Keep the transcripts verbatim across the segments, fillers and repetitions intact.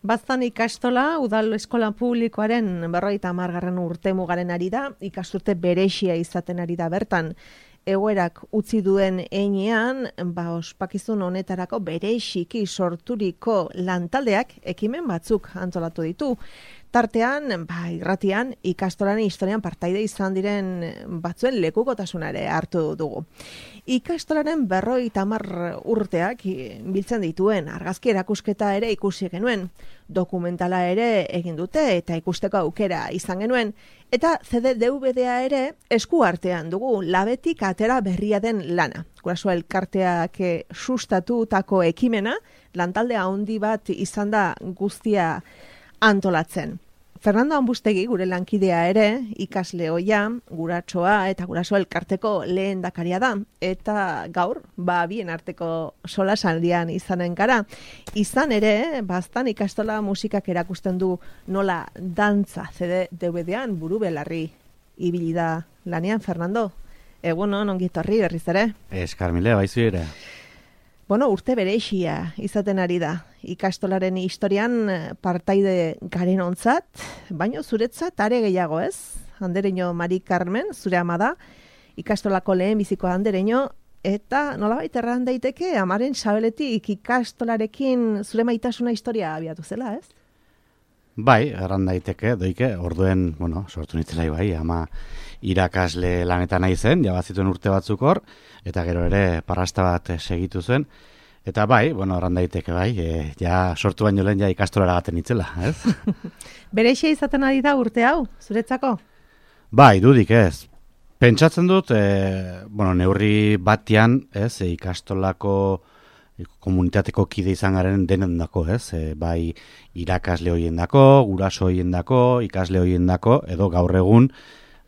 Baztan ikastola, udal eskola publikoaren berrogeita hamargarren urte mugaren ari da, ikasturte berexia izaten ari da bertan. Egoerak utzi duen heinean, ba, ospakizun honetarako berexiki sorturiko lantaldeak ekimen batzuk antolatu ditu. Tartean, ba, irratian, ikastolaren historian partaide izan diren batzuen lekukotasunare hartu dugu. Ikastolaren berrogeita hamar urteak biltzen dituen argazki erakusketa ere ikusi genuen. Dokumentala ere egin dute eta ikusteko aukera izan genuen. Eta C D D V D-a ere esku artean dugu labetik atera berria den lana. Guraso elkarteak sustatutako ekimena, lantalde handi bat izan da guztia antolatzen. Fernando Ambustegi, gure lankidea ere, ikasle ohia, guratsoa eta guraso elkarteko lehendakaria da. Eta gaur, ba, bien arteko solasaldian izanen gara. Izan ere, baztan ikastola musikak erakusten du nola dantza C D D V D-an buru belarri ibili da lanean, Fernando. Egunon, ongi etorri berriz ere. Eskarmile, baizu ere. Bueno, urte berexia izaten ari da. Ikastolaren historian partaide garen ontzat, baino zuretzat are gehiago ez? Andereño Mari Carmen, zure ama da, ikastolako lehen biziko andereño, eta nolabait erran daiteke, amaren sabeletik ikastolarekin zure maitasuna historia abiatu zela, ez? Bai, erran daiteke, doike, orduen, bueno, sortu nitzelai bai, ama irakasle lanetan nahi zen, jabazituen urte batzuk hor, eta gero ere parrasta bat segitu zen. Eta bai, bueno, erran daiteke bai, e, ja sortu baino lehen ja ikastolara gaten itzela, ez? Berexia izaten ari da urte hau, zuretzako? Bai, dudik ez. Pentsatzen dut, e, bueno, neurri batian, ez, e, ikastolako komunitateko kide izan garen denen dako, ez? E, bai, irakasle hoien dako, guraso hoien dako, ikasle hoien dako, edo gaur egun,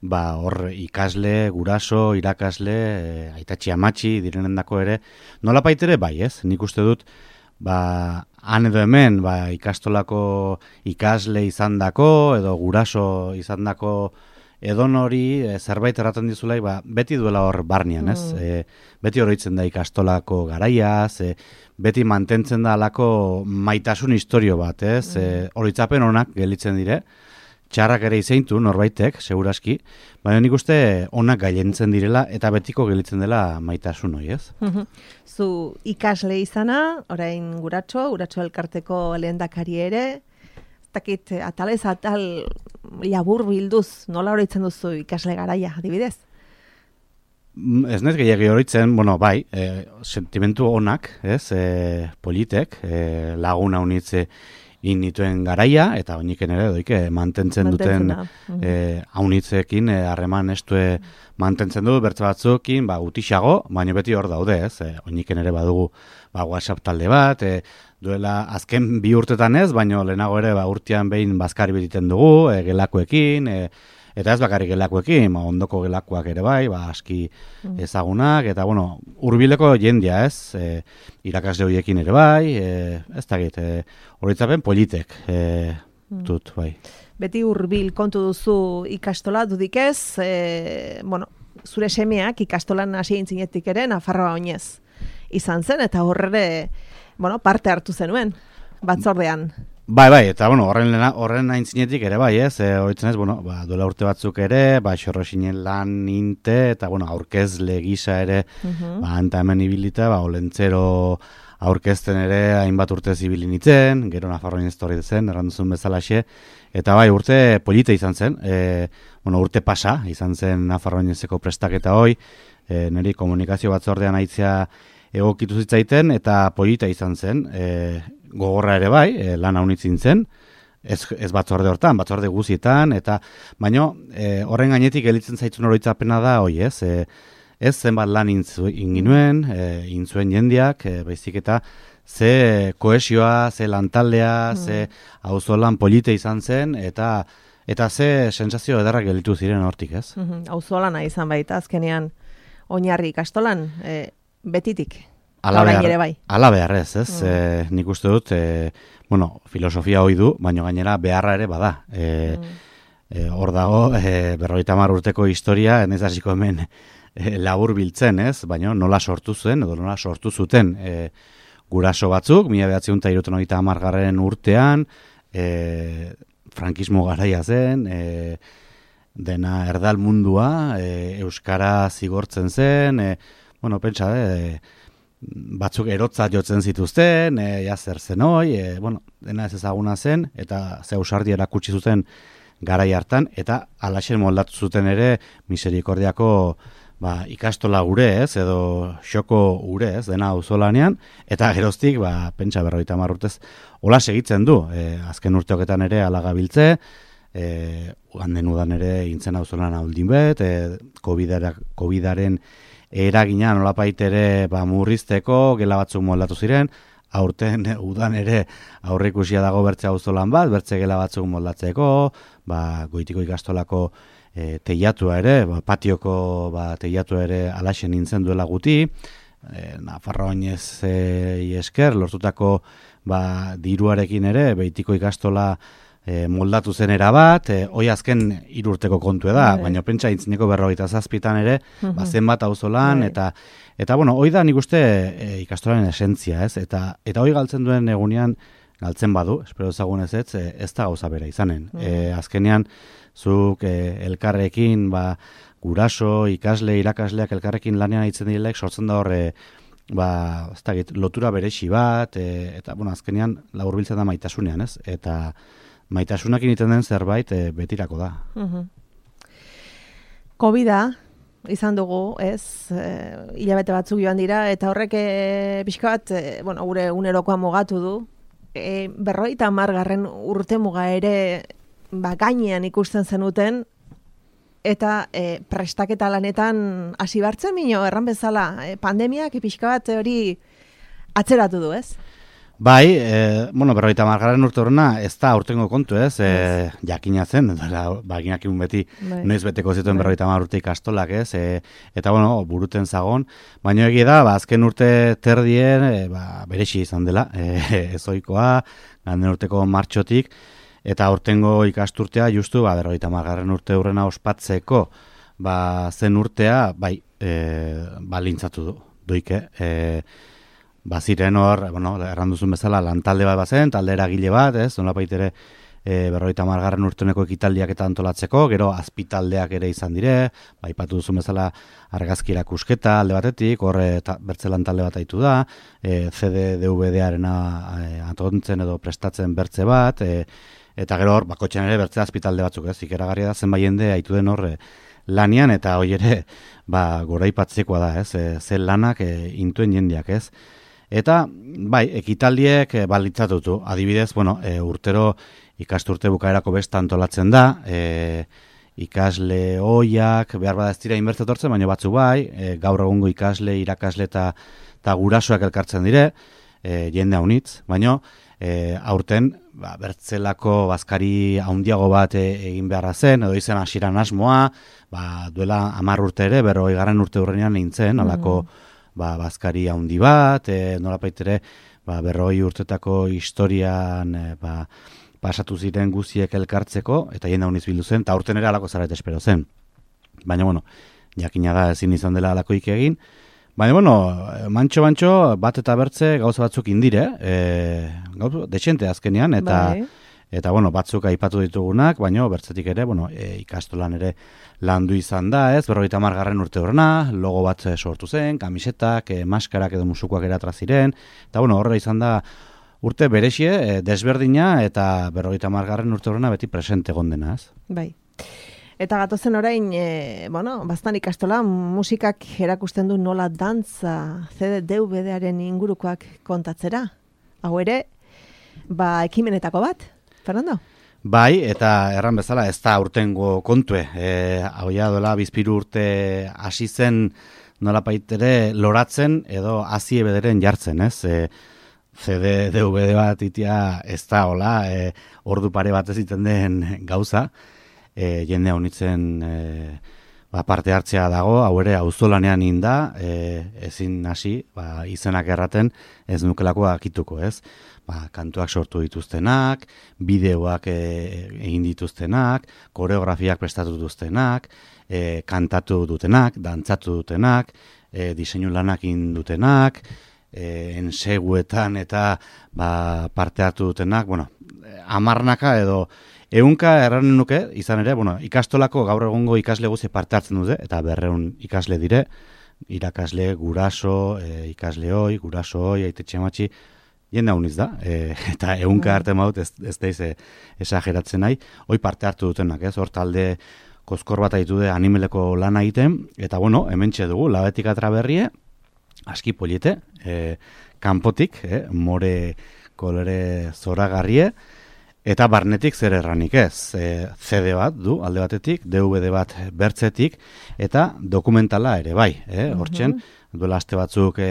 ba, hor ikasle, guraso, irakasle, e, aitatxi amatxi direnen dako ere, nola paitere bai, ez? Nik uste dut, ba, han edo hemen, ba, ikastolako ikasle izan dako, edo guraso izan dako, edon hori e, zerbait erraten dizulai, ba, beti duela hor barnean, ez? Mm. E, beti horoitzen da ikastolako garaiaz, e, beti mantentzen da alako maitasun historio bat, ez? Mm. E, horitzapen honak gelitzen dire, txarrak ere izeintu norbaitek, seguraski, baina nik uste onak gailentzen direla eta betiko gelitzen dela maitasun hori, ez? Zu ikasle izana, orain guratxo, guratxo elkarteko lehendakari ere, takit atalez atal labur bilduz, nola horitzen duzu ikasle garaia, adibidez? Ez nez gehiagi horitzen, bueno, bai, e, sentimentu onak, ez, e, politek, e, laguna unitze inituen garaia, eta oiniken ere doike mantentzen duten haunitzekin e, harreman e, estue mantentzen du, bertze batzuekin, ba, utixago, baina beti hor daude, ez, e, oiniken ere badugu ba, WhatsApp talde bat, e, duela azken bi urtetan ez, baina lehenago ere ba, urtean behin bazkari bititen dugu, e, gelakoekin, e, eta ez bakarrik gelakoekin, ba, ondoko gelakoak ere bai, ba, aski ezagunak, eta bueno, hurbileko jendia ez, e, irakasle horiekin ere bai, e, ez dakit, e, horitzapen politek e, dut, bai. Beti hurbil kontu duzu ikastola, dudik ez, e, bueno, zure semeak ikastolan hasi intzinetik ere, Nafarroa oinez izan zen, eta horre, bueno, parte hartu zenuen, batzordean. Bai, bai, eta bueno, horren horren aintzinetik ere bai, ez, e, horitzen ez, bueno, ba, duela urte batzuk ere, ba, xorrosinen lan inte, eta bueno, aurkezle gisa ere, uh-huh. ba, anta hemen ibilita, ba, olentzero aurkezten ere, hainbat urte zibilin itzen, gero Nafarroin ez torri zen, erranduzun bezalaxe, eta bai, urte polita izan zen, e, bueno, urte pasa, izan zen Nafarroinezeko prestaketa hoi, e, niri komunikazio batzordean aitzea egokitu zitzaiten, eta polita izan zen, e, gogorra ere bai, e, lan haunitzin zen, ez, ez batzorde hortan, batzorde guzietan, eta baino e, horren gainetik elitzen zaitzun oroitzapena da, hoi ez, e, ez zenbat lan inginuen, e, intzuen jendiak, e, baizik eta ze koesioa, ze lantaldea, mm. ze auzolan polite izan zen, eta eta ze sensazio edarrak gelitu ziren hortik, ez? Mm-hmm. Auzolana izan baita, azkenean oinarri ikastolan, e, betitik. Ala behar, bai. Ala behar ez, ez? Mm. E, nik uste dut, e, bueno, filosofia hoi du, baina gainera beharra ere bada. E, mm. e, hor dago, e, berrogeita hamar urteko historia, ez hasiko hemen e, labur biltzen, ez? Baina nola sortu zen, edo nola sortu zuten e, guraso batzuk, mila bederatziehun eta hirurogeita hamargarren urtean, e, frankismo garaia zen, e, dena erdal mundua, e, euskara zigortzen zen, e, bueno, pentsa, e, batzuk erotza jotzen zituzten, e, ja zer zen hoi, e, bueno, dena ez ezaguna zen, eta ze ausardi erakutsi zuten garai hartan, eta alaxen moldatu zuten ere miserikordiako ba, ikastola gure ez, edo xoko gure ez, dena auzolanean, eta geroztik, ba, pentsa berrogeita hamar urtez, hola segitzen du, e, azken urteoketan ere alagabiltze, e, handen udan ere intzen auzolan hauldin bet, e, COVIDaren eragina nolapait ere ba, murrizteko, gela batzuk moldatu ziren, aurten udan ere aurreikusia dago bertze auzolan bat, bertze gela batzuk moldatzeko, ba, goitiko ikastolako e, teiatua ere, ba, patioko ba, teiatua ere alaxen nintzen duela guti, e, Nafarroainez e, esker, lortutako ba, diruarekin ere, beitiko ikastola e, moldatu zen erabat, e, hoi azken irurteko kontu da, Bai. Baina pentsa intzineko berrogeita zazpitan ere, uh-huh. ba, zenbat auzolan, Bai. eta eta bueno, hoi da nik uste e, ikastolaren esentzia, ez? Eta eta hoi galtzen duen egunean, galtzen badu, espero ezagun ez ez, ez da gauza bera izanen. Uh-huh. E, azkenean, zuk e, elkarrekin, ba, guraso, ikasle, irakasleak elkarrekin lanean hitzen direlek, sortzen da horre, ba, ez da, lotura berexi bat, e, eta, bueno, azkenean, laburbiltzen da maitasunean, ez? Eta maitasunak egiten den zerbait e, betirako da. Uh-huh. Covida izan dugu, ez, e, hilabete batzuk joan dira, eta horrek e, pixka bat, e, bueno, gure unerokoa mugatu du, e, berrogeita hamargarren urte muga ere ba, gainean ikusten zenuten, eta e, prestaketa lanetan hasi bartzen mino, erran bezala, e, pandemiak pixka bat hori atzeratu du, ez? Bai, e, bueno, berrogeita hamargarren urte horrena ez da aurtengo kontu, ez? E, jakina zen, baginak egun beti bai. Noiz beteko zituen bai. berrogeita hamar urte ikastolak, ez? E, eta, bueno, buruten zagon. Baina egia da, ba, azken urte terdien, e, ba, berexi izan dela, e, ezoikoa, ganden urteko martxotik, eta aurtengo ikasturtea, justu, ba, berrogeita hamargarren urte hurrena ospatzeko, ba, zen urtea, bai, e, balintzatu du, doike, e, baziren hor, bueno, erranduzun bezala, lantalde bat bazen, talde eragile bat, ez, nolapait ere e, berrogeita hamargarren urteneko ekitaldiak eta antolatzeko, gero azpitaldeak ere izan dire, bai patu duzun bezala argazki erakusketa alde batetik, hor bertze lantalde bat aitu da, e, C D D V D-arena e, atontzen edo prestatzen bertze bat, e, eta gero hor, bakotxean ere bertze azpitalde batzuk, ez, ikeragarria da zenbait jende aitu den hor, lanian, eta hoi ere, ba, goraipatzekoa da, ez, e, zen lanak e, intuen jendeak, ez. Eta, bai, ekitaldiek e, balitzatutu. Adibidez, bueno, e, urtero ikasturte bukaerako besta antolatzen da, e, ikasle hoiak, behar bada ez dira inbertze tortzen, baina batzu bai, e, gaur egungo ikasle, irakasle eta gurasoak elkartzen dire, e, jende haunitz, baina e, aurten, ba, bertzelako bazkari haundiago bat e, egin beharra zen, edo izan hasieran asmoa, ba, duela hamar urte ere, berrogei garren urte hurrenean nintzen, alako mm. ba, bazkari haundi bat, e, nolapait ere, ba, berrogei urtetako historian e, ba, pasatu ziren guziek elkartzeko, eta jende hauniz bildu zen, eta aurten ere alako zaret espero zen. Baina, bueno, jakina da ezin izan dela alakoik egin, baina, bueno, mantxo-mantxo bat eta bertze gauza batzuk indire, e, gauza, desente azkenean, eta bai. Eta, bueno, batzuk aipatu ditugunak, baina bertzetik ere, bueno, e, ikastolan ere landu izan da, ez, berrogeita hamargarren urte horrena, logo bat sortu zen, kamisetak, e, maskarak edo musukoak eratraz ziren, eta, bueno, horre izan da urte berexie, e, desberdina, eta berrogeita hamargarren urte horrena beti presente gondena, ez? Bai. Eta gatozen orain, e, bueno, bastan ikastola, musikak erakusten du nola dantza C D D V D-aren ingurukoak kontatzera. Hau ere, ba, ekimenetako bat, Fernando? Bai, eta erran bezala ez da urtengo kontue. E, hau ja dola bizpiru urte hasi zen nolapait ere loratzen edo hazi bederen jartzen, ez? E, C D D V D bat itia ez da hola, e, ordu pare bat ez iten den gauza, e, jende honitzen e, ba, parte hartzea dago, hau ere auzolanean inda, e, ezin hasi, ba, izenak erraten ez nukelako akituko, ez? Ba, kantuak sortu dituztenak, bideoak e, egin dituztenak, koreografiak prestatu dituztenak, e, kantatu dutenak, dantzatu dutenak, e, diseinu lanak egin dutenak, e, enseguetan eta ba, parte hartu dutenak, bueno, amarnaka edo ehunka erranen nuke, izan ere, bueno, ikastolako gaur egungo ikasle guzi parte hartzen dute, eta berreun ikasle dire, irakasle, guraso, e, ikasle hoi, guraso hoi, aitetxe matxi, jende hauniz da, e, eta ehunka arte maut ez, ez daiz e, esageratzen nahi, hoi parte hartu dutenak, ez, hor talde kozkor bat aitu de animeleko lana egiten, eta bueno, hementxe dugu, labetik atraberrie, aski poliete, e, kanpotik, e, more kolore zoragarrie, eta barnetik zer erranik ez, e, C D bat du alde batetik, D V D bat bertzetik, eta dokumentala ere bai, e, hortzen, duela aste batzuk e,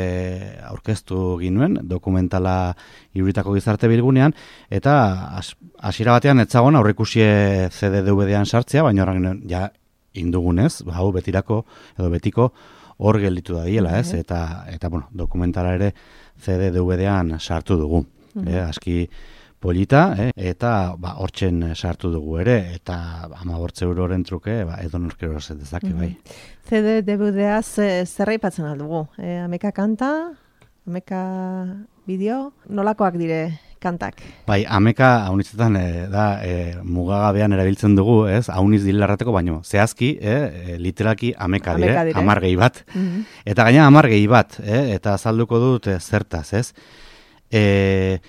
aurkeztu ginuen, dokumentala Iruritako Gizarte Bilgunean, eta hasiera batean etzagon aurrikusie C D D V D-an sartzea, baina horren ja indugunez, hau betirako edo betiko hor gelditu da diela, ez? Eta, eta bueno, dokumentala ere C D D V D-an sartu dugu, uh-huh. e, aski polita, eh? Eta ba, hortzen sartu dugu ere, eta hamabortzi euroren truke, ba, edo norkero dezake, bai. C D D V D-az zer aipatzen aldugu? E, ameka kanta, ameka bideo, nolakoak dire kantak? Bai, ameka haunitzetan e, da e, mugagabean erabiltzen dugu, ez? Hauniz dilarrateko, baino, zehazki, e, literalki ameka dire, ameka dire. Amar gehi bat. Mm-hmm. Eta gaina amar gehi bat, e, eta azalduko dut e, zertaz, ez? E,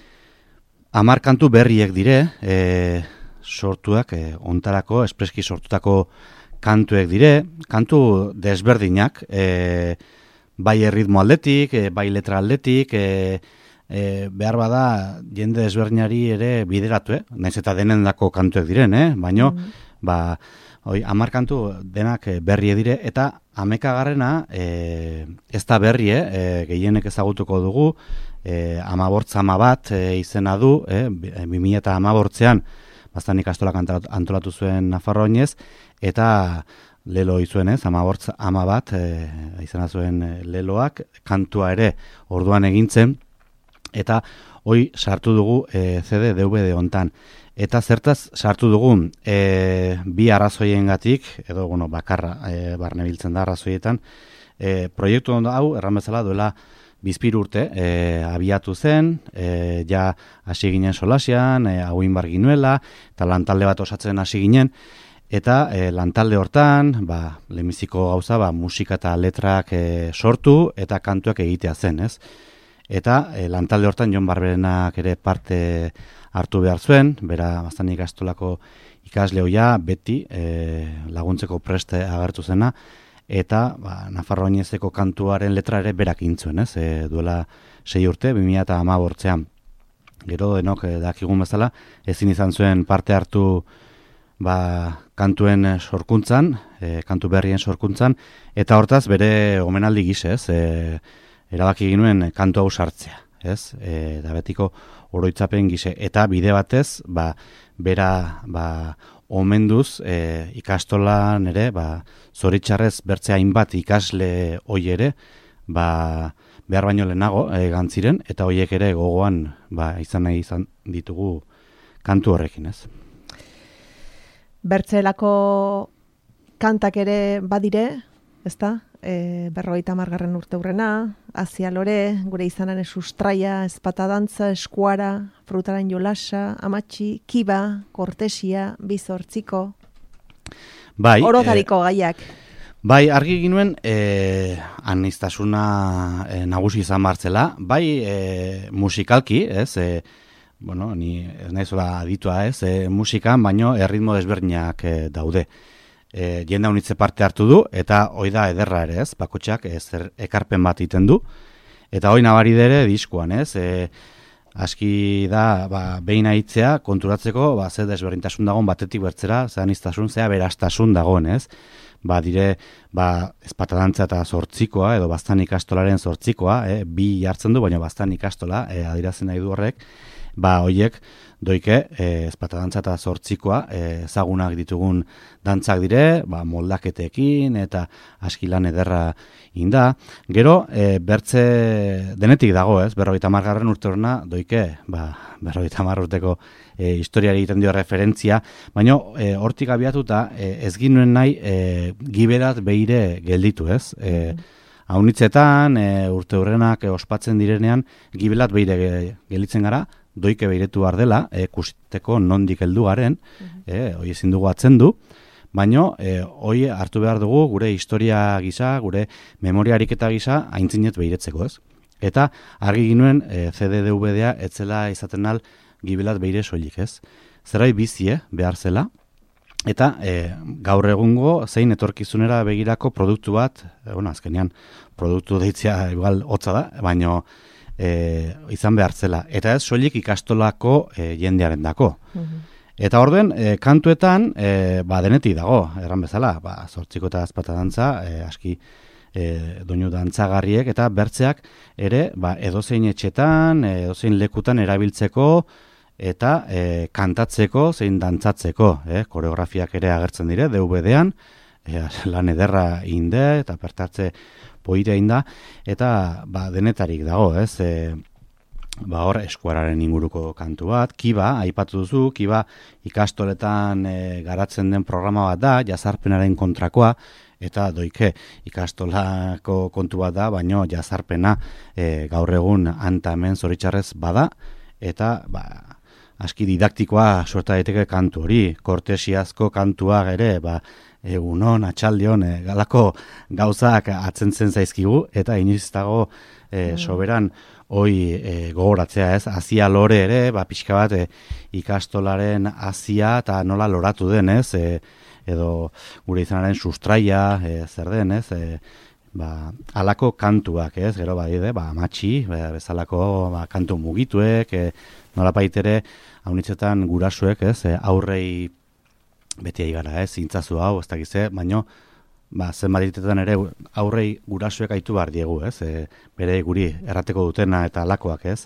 Amar kantu berriek dire, e, sortuak, e, ontarako, espreski sortutako kantuek dire, kantu desberdinak, e, bai erritmo aldetik, e, bai letra aldetik, e, e, behar bada jende desberdinari ere bideratu, eh? Naiz eta denendako kantuek diren, eh? Baino, mm. ba, oi, amar kantu denak berrie dire, eta amekagarrena e, ez da berrie, e, gehienek ezagutuko dugu, E, amabortza ama bat e, izena du, e, bi mila eta amabortzean bastan ikastolak antolatu zuen Nafarroinez, eta lelo izuen ez, amabortza ama bat e, izena zuen leloak, kantua ere orduan egintzen, eta hoi sartu dugu e, C D D V D hontan. Eta zertaz sartu dugu e, bi arrazoiengatik, edo bueno, bakarra e, barne biltzen da arrazoietan, e, proiektu hau erran bezala duela bizpir urte, e, abiatu zen, e, ja hasi ginen solasian, e, hauin bar ginuela, eta lantalde bat osatzen hasi ginen, eta e, lantalde hortan, ba, lehenbiziko gauza, ba, musika eta letrak e, sortu, eta kantuak egitea zen, ez? Eta e, lantalde hortan Jon Barberenak ere parte hartu behar zuen, bera bastan ikastolako ikasle hoia, beti e, laguntzeko preste agertu zena, eta ba, Nafarroinezeko kantuaren letra ere berak intzuen, ez? E, duela sei urte, bi mila eta hamabortzean. Gero denok e, dakigun bezala, ezin izan zuen parte hartu ba, kantuen sorkuntzan, e, kantu berrien sorkuntzan, eta hortaz bere omenaldi gise, ez? E, erabaki ginuen kantu hau sartzea, ez? E, da betiko oroitzapen gise, eta bide batez, ba, bera ba, omenduz e, ikastolan ere, ba, zoritxarrez bertze hainbat ikasle hoi ere, ba, behar baino lehenago e, gantziren, eta hoiek ere gogoan ba, izan nahi izan ditugu kantu horrekin, ez? Bertzelako kantak ere badire, ezta? E, berrogeita hamargarren urte hurrena, Azia Lore, gure izanaren sustraia, ezpata dantza, eskuara, frutaren jolasa, amatxi, kiba, kortesia, bizortziko, bai, orotariko e, gaiak. Bai, argi ginuen, e, aniztasuna e, nagusi izan martzela, bai e, musikalki, ez, e, bueno, ni ez nahizola aditua ez, e, musikan, baino erritmo desberdinak e, daude. E, jende honitze parte hartu du, eta hoi da ederra ere ez, bakotxak ez ekarpen bat iten du, eta hoi nabari dere diskoan ez, e, aski da ba, behin aitzea konturatzeko, ba, zer desberdintasun dagoen batetik bertzera, zer aniztasun, zera berastasun dagoen ez, ba, dire, ba, ezpatadantza eta zortzikoa, edo bastan ikastolaren zortzikoa, e, bi jartzen du, baina bastan ikastola, e, adirazen nahi du horrek, ba, hoiek doike, e, ezpatadantza eta zortzikoa, e, ezagunak ditugun dantzak dire, ba, moldaketekin eta aski lan ederra inda. Gero, e, bertze denetik dago, ez? Berrogeita hamargarren urte horrena doike, ba, berrogeita hamar urteko e, historiari egiten dio referentzia, baina e, hortik abiatuta e, ez ginuen nahi e, giberat behire gelditu, ez? E, Haunitzetan, e, urte hurrenak e, ospatzen direnean, gibelat beire gelitzen gara, doike beiretu behar dela, e, kusteko nondik heldu garen, e, hoi ezin dugu atzendu, baina e, hoi hartu behar dugu gure historia gisa, gure memoria ariketa gisa, aintzinet beiretzeko, ez? Eta argi ginuen e, C D D V D-a etzela izaten al gibelat beire soilik, ez? Zerai bizie behar zela, eta e, gaur egungo zein etorkizunera begirako produktu bat, e, bueno, azkenean produktu deitzea igual hotza da, baina e, izan behar zela. Eta ez soilik ikastolako e, jendearen dako. Eta orduen, e, kantuetan, e, ba, denetik dago, erran bezala, ba, zortziko eta azpata dantza, e, aski e, doinu dantzagarriek, eta bertzeak ere, ba, edozein etxetan, edozein lekutan erabiltzeko, eta e, kantatzeko, zein dantzatzeko, e, koreografiak ere agertzen dire, D V D-an, e, lan ederra inde, eta pertartze poitea inda, eta ba, denetarik dago, ez, e, ba hor eskuararen inguruko kantu bat, Kiba, aipatu duzu, Kiba ikastoletan e, garatzen den programa bat da, jazarpenaren kontrakoa, eta doike ikastolako kontu bat da, baino jazarpena e, gaur egun anta hemen zoritxarrez bada, eta ba, aski didaktikoa suerta daiteke kantu hori, kortesiazko kantuak ere, ba, egunon, atxaldion, e, galako gauzak atzentzen zaizkigu, eta inoiz dago e, soberan hoi e, gogoratzea, ez, azia lore ere, ba, pixka bat e, ikastolaren azia eta nola loratu den, ez, e, edo gure izanaren sustraia, e, zer den, ez, e, ba, alako kantuak, ez, gero badide, ba, amatxi, ba, bezalako ba, kantu mugituek, e, nola baitere, haunitzetan gurasuek, ez, e, aurrei beti aigara, ez, zintzazu hau, ez dakize, baino, ba, zenbaditetan ere aurrei gurasuek aitu behar diegu, ez, e, bere guri errateko dutena eta alakoak, ez,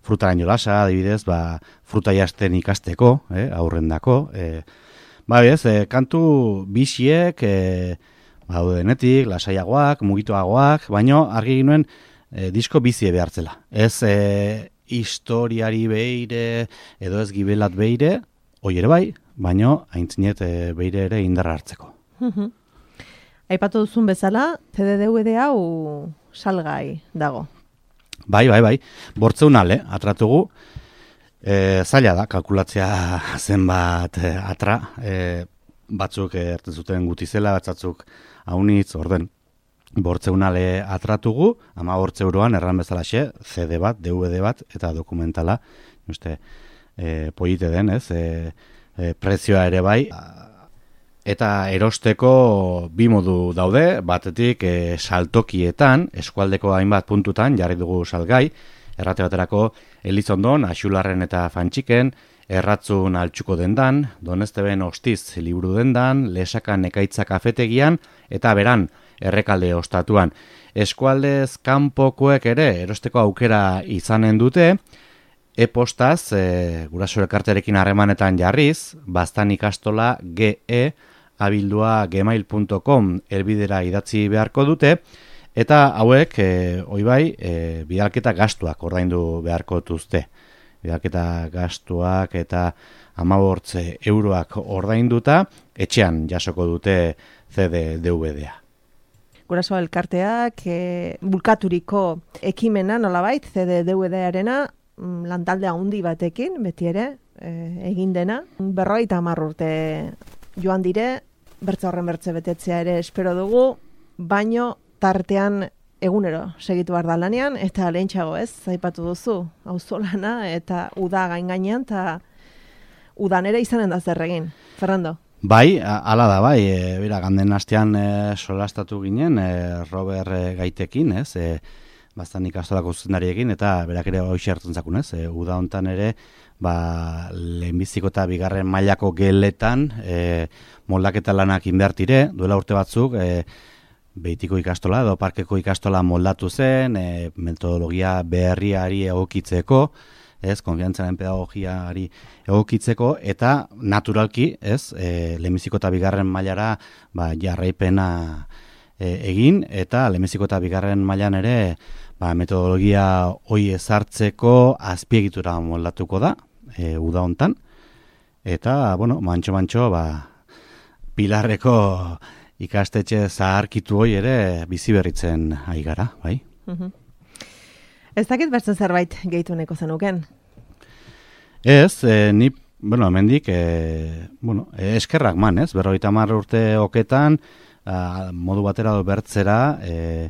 frutaren jolasa, adibidez, ba, fruta jasten ikasteko, e, aurrendako, e, ba, ez, e, kantu bisiek, e, ba, denetik, lasaiagoak, mugituagoak, baino argi ginuen e, disko bizie behartzela. Ez e, historiari beire, edo ez gibelat beire, hoi ere bai, baino haintzinet e, beire ere indarra hartzeko. Aipatu duzun bezala, C D D V D hau salgai dago. Bai, bai, bai. Bortzeun ale, atratugu. E, zaila da, kalkulatzea zenbat e, atra. E, batzuk erten zuten gutizela, batzatzuk haunitz, orden. Bortzeun ale atratugu, ama bortze euroan, erran bezalaxe, C D bat, D V D bat, eta dokumentala, uste, e, polite den, ez, e, e, prezioa ere bai. Eta erosteko bi modu daude, batetik e, saltokietan, eskualdeko hainbat puntutan, jarri dugu salgai, errate baterako Elizondon, Axularren eta Fantxiken, Erratzun Altxuko dendan, Donesteben Ostiz liburu dendan, Lesakan Ekaitza kafetegian, eta Beran, Errekalde ostatuan. Eskualdez kanpokoek ere erosteko aukera izanen dute, e-postaz, e, guraso elkarterekin harremanetan jarriz, Baztan ikastola ge abildua gmail punto com elbidera idatzi beharko dute, eta hauek, e, hoi bai, e, bidalketa gastuak ordaindu beharko duzte. Bidalketa gastuak eta hamabortze euroak ordainduta, etxean jasoko dute C D D V D-a. Guraso elkarteak e, bulkaturiko ekimena nolabait, C D D V D-arena, lantalde handi batekin, beti ere, e, egin dena. Berrogeita hamar urte joan dire, bertza horren bertze betetzea ere espero dugu, baino tartean egunero segitu behar da lanean, eta lehentxago ez, zaipatu duzu, auzolana eta uda gain gainean, eta udan ere izanen da zer egin. Fernando? Bai, hala da, bai, e, bera, ganden hastean e, solastatu ginen, e, Robert e, Gaitekin, ez, e, Baztan ikastolako zuzendariekin, eta berak ere hoxe hartzen zakun, ez, e, uda hontan ere, ba, lehenbiziko eta bigarren mailako geletan e, moldaketa lanak inbertire, duela urte batzuk, e, Beitiko ikastola edo parkeko ikastola moldatu zen, e, metodologia berriari egokitzeko, ez, konfiantzaren pedagogiari egokitzeko, eta naturalki, ez, e, lehenbiziko eta bigarren mailara ba, jarraipena e, egin, eta lehenbiziko eta bigarren mailan ere ba, metodologia hoi ezartzeko azpiegitura moldatuko da, e, uda hontan, eta, bueno, mantxo-mantxo, ba, Pilarreko ikastetxe zaharkitu hoi ere bizi berritzen ari gara, bai? Mhm. Ez dakit bertzen zerbait gehitu neko zenuken? Ez, e, ni, bueno, hemendik, e, bueno, e, eskerrak man, ez? Berrogeita hamar urte oketan, a, modu batera do bertzera, e,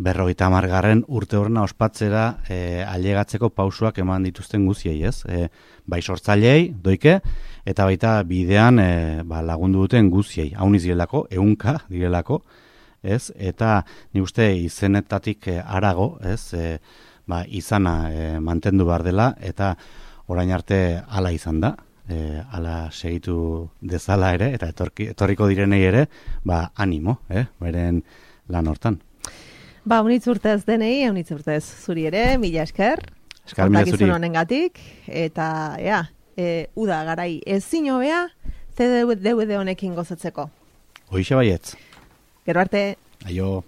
berrogeita hamargarren urte horrena ospatzera e, ailegatzeko pausuak eman dituzten guziei, ez? E, bai sortzailei, doike, eta baita bidean e, ba, lagundu duten guziei. Haun izilelako, eunka direlako, ez? Eta ni uste izenetatik e, arago, ez? E, ba, izana e, mantendu behar dela, eta orain arte hala izan da, e, hala segitu dezala ere, eta etorki, etorriko direnei ere, ba, animo, eh? Beren lan hortan. Ba, unitz urtez denei, unitz urtez zuri ere, mila esker. Eskar mila zuri. Honengatik, eta, ea, e, uda garai ezin hobea, C D V D honekin gozatzeko. Hoixe baietz. Gero arte. Aio.